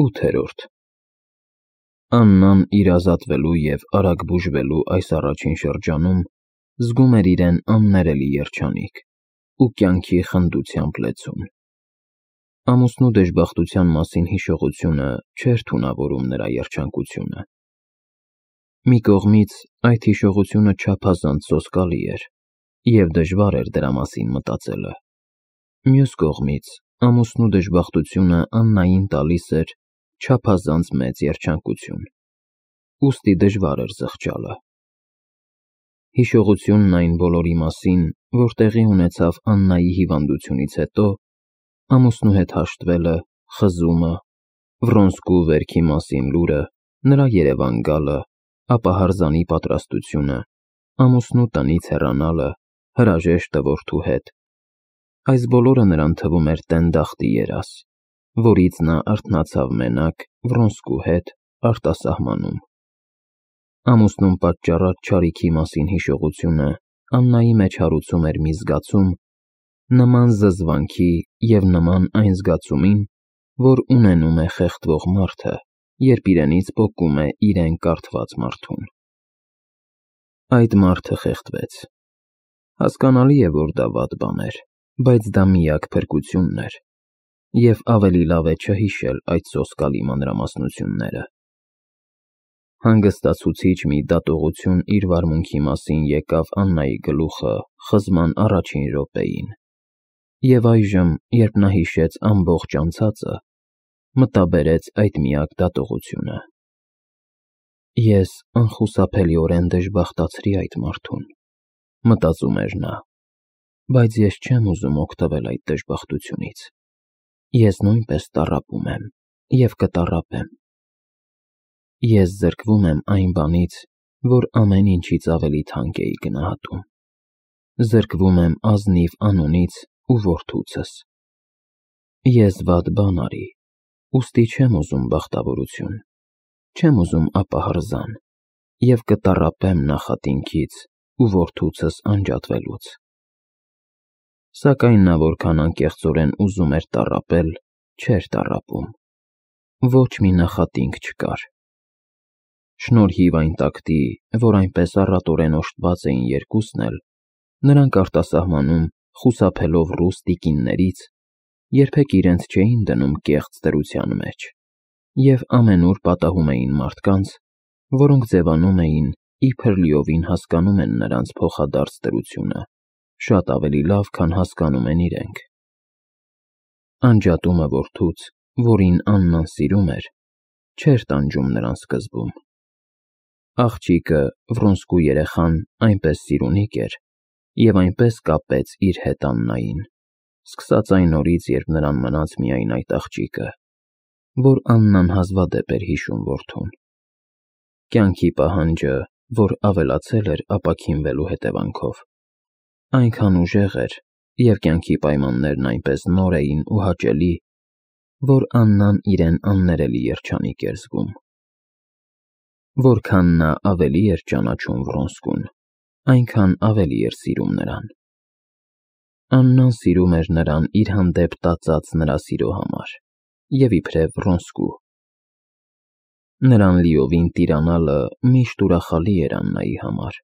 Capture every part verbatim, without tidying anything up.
ութերորդ Աննան իր ազատվելու և արագ բուժվելու այս առաջին շրջանում զգում էր իրեն աններելի երջանիկ ու կյանքի խնդությամբ լեցուն: Ամուսնու դժբախտության մասին հիշողությունը չէր թունավորում նրա երջանկությունը: Մի կողմից այդ հիշողությունը չափազանց սոսկալի էր, և դժվար էր դրա մասին մտածելը: Մյուս կողմից ամուսնու դժբախտությունը Աննային տալիս էր չափազանց մեծ երջանկություն, ուստի դժվար էր զղջալը: Հիշողությունն այն բոլորի մասին, որ տեղի ունեցավ Աննայի հիվանդությունից հետո, ամուսնու հետ հաշտվելը, խզումը, Վռոնսկու վերքի մասին լուրը, նրա Երևան գալը, ապա հրզանի պատրաստությունը, ամուսնու տնից հեռանալը, հրաժեշտը որդու հետ, այս բոլորը նրան թվում էր տենդախտի երազ, որից նա արթնացավ մենակ Վռոնսկու հետ արտասահմանում: Ամուսնուն պատճառած չարիքի մասին հիշողությունը Աննայի մեջ հարուցում էր մի զգացում, նման զզվանքի և նման այն զգացումին, որ ունենում է խեղդվող մարդը, երբ իրենից պոկում է իրեն կարդված մարդուն: Այդ մարդը խեղդվեց: Հասկանալի է, որ դա վատ բան էր, բայց դա միակ փրկությունն էր, և ավելի լավ է չհիշել այդ սոսկալի մանրամասնությունները: Հանգստացուցիչ մի դատողություն իր վարմունքի մասին եկավ Աննայի գլուխը խզման առաջին րոպեին, և այժմ, երբ նա հիշեց ամբողջ անցածը, մտաբերեց այդ միակ դատողությունը: Ես անխուսափելիորեն դժբախտացրի այդ մարդուն, մտածում էր նա, բայց ես չեմ ուզում օգտվել այդ դժբախտությունից: Ես նույնպես տառապում եմ և կտառապեմ: Ես զրկվում եմ այն բանից, որ ամեն ինչից ավելի թանկ էի գնահատում: Զրկվում եմ ազնիվ անունից ու որդուցս: Ես վատ բան արի, ուստի չեմ ուզում բախտավորություն, չեմ ուզում ապահրզան և կտառապեմ նախատինքից ու որդուցս անջատվելուց: Սակայն նա որքան անկեղծորեն ուզում էր տառապել, չէր տառապում: Ոչ մի նախատինք չկար: Շնորհիվ այն տակտի, որ այնպես առատորեն օժտված էին երկուսն էլ, նրանք արտասահմանում, խուսափելով ռուս տիկիններից, երբեք իրենց չէին դնում կեղծ դրության մեջ և ամենուր պատահում էին մարդկանց, որոնք ձևանում էին, իբր լիովին հասկանում են նրանց փոխադարձ դրությունը շատ ավելի լավ, քան հասկանում են իրենք: Անջատումը որդուց, որին Աննան սիրում էր, չէր տանջում նրան սկզբում: Աղջիկը, Վռոնսկու երեխան այնպես սիրունիկ էր և այնպես կապեց իր հետ Աննային, սկսած այն օրից, երբ նրան մնաց միայն այդ աղջիկը, որ Աննան հազվադեպ էր հիշում որդուն: Կյանքի պահանջը, որ ավելացել էր ապաքինվելու հետևանքով, այնքան ուժեղ էր և կյանքի պայմաններն այնպես նոր էին ու հաճելի, որ Աննան իրեն աններելի երջանիկ էր զգում: Որքան նա ավելի էր ճանաչում Վռոնսկուն, այնքան ավելի էր սիրում նրան: Աննան սիրում էր նրան իր հանդեպ տածած նրա սիրո համար և իբրև Վռոնսկու: Նրան լիովին տիրանալը միշտ ուրախալի էր Աննայի համար: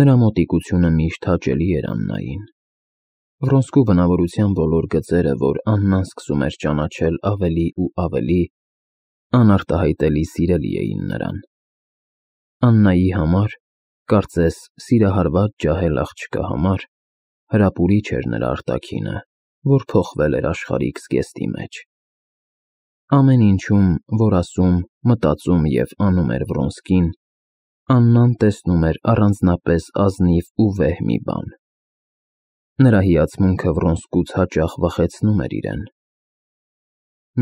Նրա մոտիկությունը միշտ հաճելի էր Աննային: Վռոնսկու բնավորության բոլոր գծերը, որ Աննան սկսում էր ճանաչել ավելի ու ավելի, անարտահայտելի սիրելի էին նրան: Աննայի համար, կարծես սիրահարված ջահել աղջկա համար, հրապուրիչ էր նրա արտաքինը, որ փոխվել էր աշխարհիկ զգեստի մեջ: Ամեն ինչում, որ ասում, մտածում և անում էր Վռոնսկին, Աննան տեսնում էր առանձնապես ազնիվ ու վեհ մի բան: Նրա հիացմունքը Վռոնսկուց հաճախ վախեցնում էր իրեն: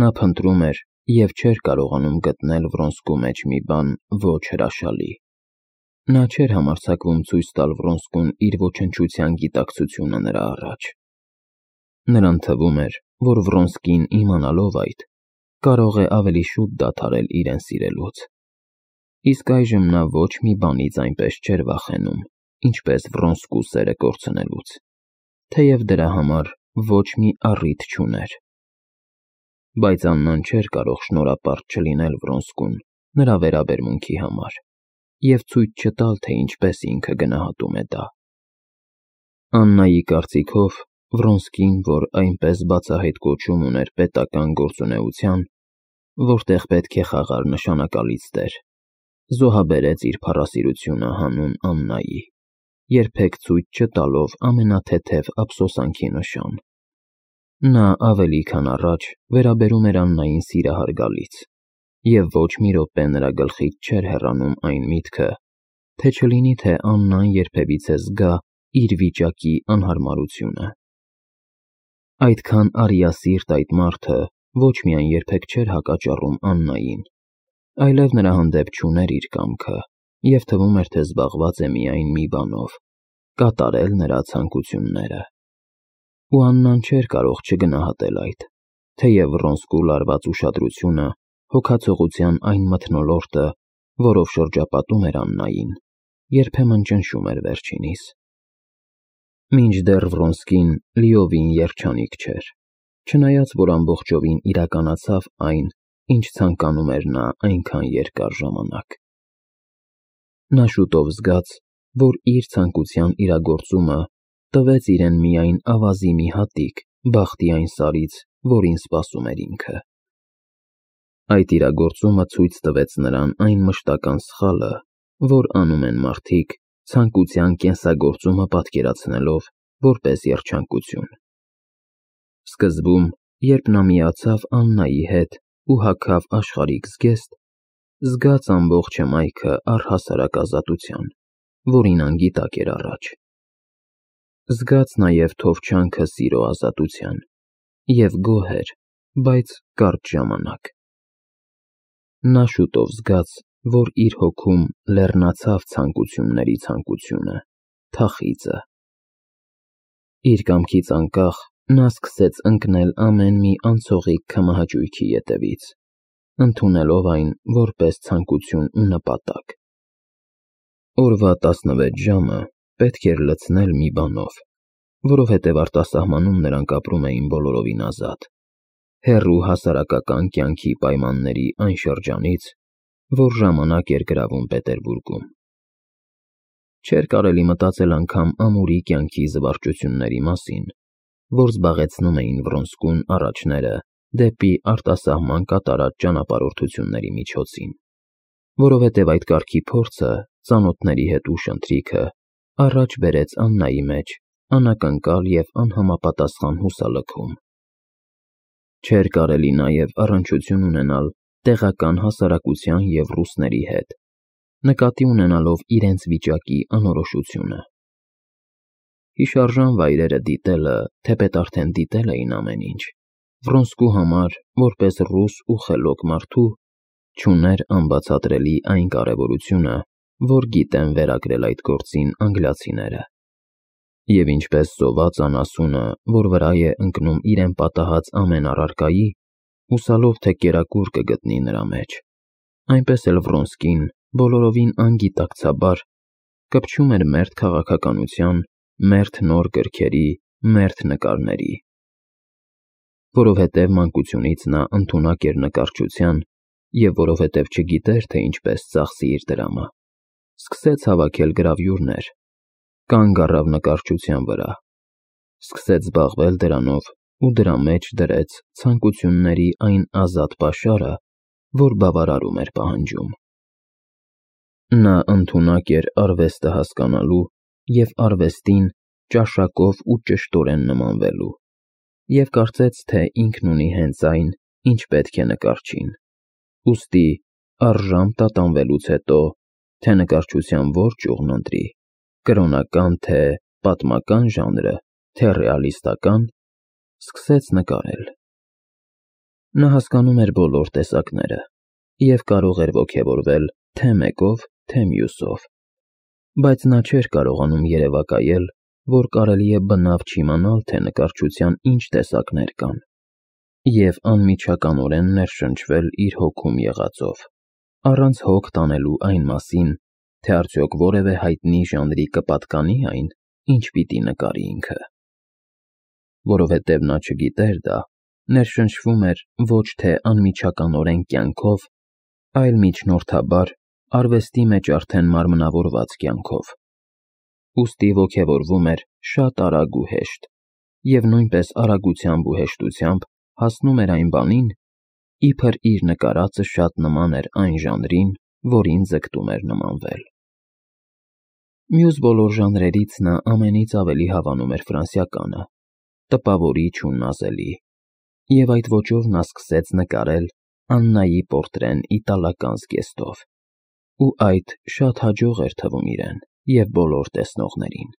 Նա փնտրում էր և չէր կարողանում գտնել Վռոնսկու մեջ մի բան ոչ հրաշալի: Նա չէր համարձակվում ցույց տալ Վռոնսկուն իր ոչնչության գիտակցությունը նրա առաջ: Նրան թվում էր, որ Վռոնսկին իմանալով այդ, կարող է ավելի շուտ դադարել իրեն սիրելուց: Իսկ այժմ նա ոչ մի բանից այնպես չէր վախենում, ինչպես Վռոնսկու սերը կորցնելուց, թեև դրա համար ոչ մի առիթ չուներ: բայց Աննան չէր կարող շնորհապարտ չլինել Վրոնսկուն նրա վերաբերմունքի համար և ցույց չտալ, թե ինչպես ինքը գնահատում է դա։ Աննայի կարծիքով Վրոնսկին, որ այնպես բացահայտ կոչում ուներ պետական գործունեության, որտեղ պետք է խաղար նշանակալից դեր, զոհաբերեց իր փառասիրությունը հանուն Աննայի, երբեք ցույց չտալով ամենաթեթև ափսոսանքի նշան։ Նա ավելի քան առաջ վերաբերում էր Աննային սիրահարգալից, և ոչ մի րոպե նրա գլխից չէր հեռանում այն միտքը, թե չլինի թե Աննան երբևիցե զգա իր վիճակի անհարմարությունը։ Այդքան արիասիրտ այդ մարդը ոչ միայն երբեք չէր հակաճառում Աննային, այլև նրա հանդեպ չուներ իր կամքը և թվում էր, թե զբաղված է միայն մի բանով՝ կատարել նրա ցանկությունները։ Ու Աննան չէր կարող չգնահատել այդ, թեև Վռոնսկու լարված ուշադրությունը, հոգացողության այն մթնոլորտը, որով շրջապատում էր Աննային, երբեմն ճնշում էր վերջինիս։ Մինչդեռ Վռոնսկին լիովին երջանիկ չէր, չնայած որ ամբողջովին իրականացավ այն, ինչ ցանկանում էր նա այնքան երկար ժամանակ։ Նա շուտով զգաց, որ իր ցանկության իրագործումը տվեց իրեն միայն ավազի մի հատիկ բախտի այն սարից, որին սպասում էր ինքը։ Այդ իրագործումը ցույց տվեց նրան այն մշտական սխալը, որ անում են մարդիկ, ցանկության կենսագործումը պատկերացնելով որպես երջանկություն։ Սկզբում, երբ նա միացավ Աննայի հետ ու հագավ աշխարհիկ զգեստ, զգաց ամբողջ հմայքը առհասարակ ազատության, որին անգիտակ էր առաջ։ Զգաց նաև թովչանքը սիրո ազատության և գոհ էր, բայց կարճ ժամանակ։ Նա շուտով զգաց, որ իր հոգում լեռնացավ ցանկությունների ցանկությունը, թախիծը։ Իր կամքից անկախ նա սկսեց ընկնել ամեն մի անցողիկ քմահաճույքի ետևից, ընդունելով այն որպես ցանկություն ու նպատակ։ Օրվա տասնվեց ժամը պետք էր լցնել մի բանով, որովհետև արտասահմանում նրանք ապրում էին բոլորովին ազատ, հեռու հասարակական կյանքի պայմանների այն շրջանից, որ ժամանակ էր գրավում Պետերբուրգում։ Չէր կարելի մտածել անգամ ամուրի կյանքի զվարճությունների մասին, որ զբաղեցնում էին Վռոնսկուն առաջները դեպի արտասահման կատարած ճանապարհորդությունների միջոցին, որովհետև այդ կարգի փորձը, ծանոթների հետ ուշ ընթրիքը առաջ բերեց Աննայի մեջ անակնկալ և անհամապատասխան հուսալքում։ Չէր կարելի նաև առնչություն ունենալ տեղական հասարակության և ռուսների հետ, նկատի ունենալով իրենց վիճակի անորոշությունը։ Հիշարժան վայրերը դիտելը, թեպետ արդեն դիտել էին ամեն ինչ, Վռոնսկու համար, որպես ռուս ու խելոք մարդու, չուներ անբացատրելի այն կարևորությունը, որ գիտեն վերագրել այդ գործին անգլիացիները։ Եվ ինչպես սոված անասունը, որ վրա է ընկնում իրեն պատահած ամեն առարկայի, հուսալով, թե կերակուր կգտնի նրա մեջ, այնպես էլ Վռոնսկին բոլորովին անգիտակցաբար կպչում էր մերթ քաղաքականության, մերթ նոր գրքերի, մերթ նկարների։ Որովհետև մանկությունից նա ընդունակ էր նկարչության և որովհետև չգիտեր, թե ինչպես ծախսի իր դրամը, սկսեց հավաքել գրավյուրներ, կանգ առավ նկարչության վրա, սկսեց զբաղվել դրանով ու դրա մեջ դրեց ցանկությունների այն ազատ պաշարը, որ բավարարում էր պահանջում։ Նա ընդունակ էր արվեստը հասկանալու և արվեստին ճաշակով ու ճշտորեն նմանվելու և կարծեց, թե ինքն ունի հենց այն, ինչ պետք է նկարչին, ուստի առժամ տատանվելուց հետո, թե նկարչության որ ճյուղն ընտրի, կրոնական, թե պատմական ժանրը, թե ռեալիստական, սկսեց նկարել։ Նա հասկանում էր բոլոր տեսակները և կարող էր ոգևորվել թե մեկով, թե մյուսով, բայց նա չէր կարողանում երևակայել, որ կարելի է բնավ չիմանալ, թե նկարչության ինչ տեսակներ կան, և անմիջականորեն ներշնչվել իր հոգում եղածով, առանց հոգ տանելու այն մասին, թե արդյոք որևէ հայտնի ժանրի կպատկանի այն, ինչ պիտի նկարի ինքը։ Որովհետև նա չգիտեր դա, Ներշնչվում էր ոչ թե անմիջականորեն կյանքով, այլ միջնորդաբար արվեստի մեջ արդեն մարմնավորված կյանքով, ուստի ոգևորվում էր շատ արագ ու հեշտ, և նույնպես արագությամբ ու հեշտությամբ հասնում էր այն բանին, իբր իր նկարածը շատ նման էր այն ժանրին, որին ձգտում էր նմանվել։ Մյուս բոլոր ժանրերից նա ամենից ավելի հավանում էր ֆրանսիականը, տպավորիչ ու նազելի, և այդ ոճով նա սկսեց նկարել Աննայի պորտրեն իտալական զգեստով, ու այդ շատ հաջող էր թվում իրեն և բոլոր տեսնողներին։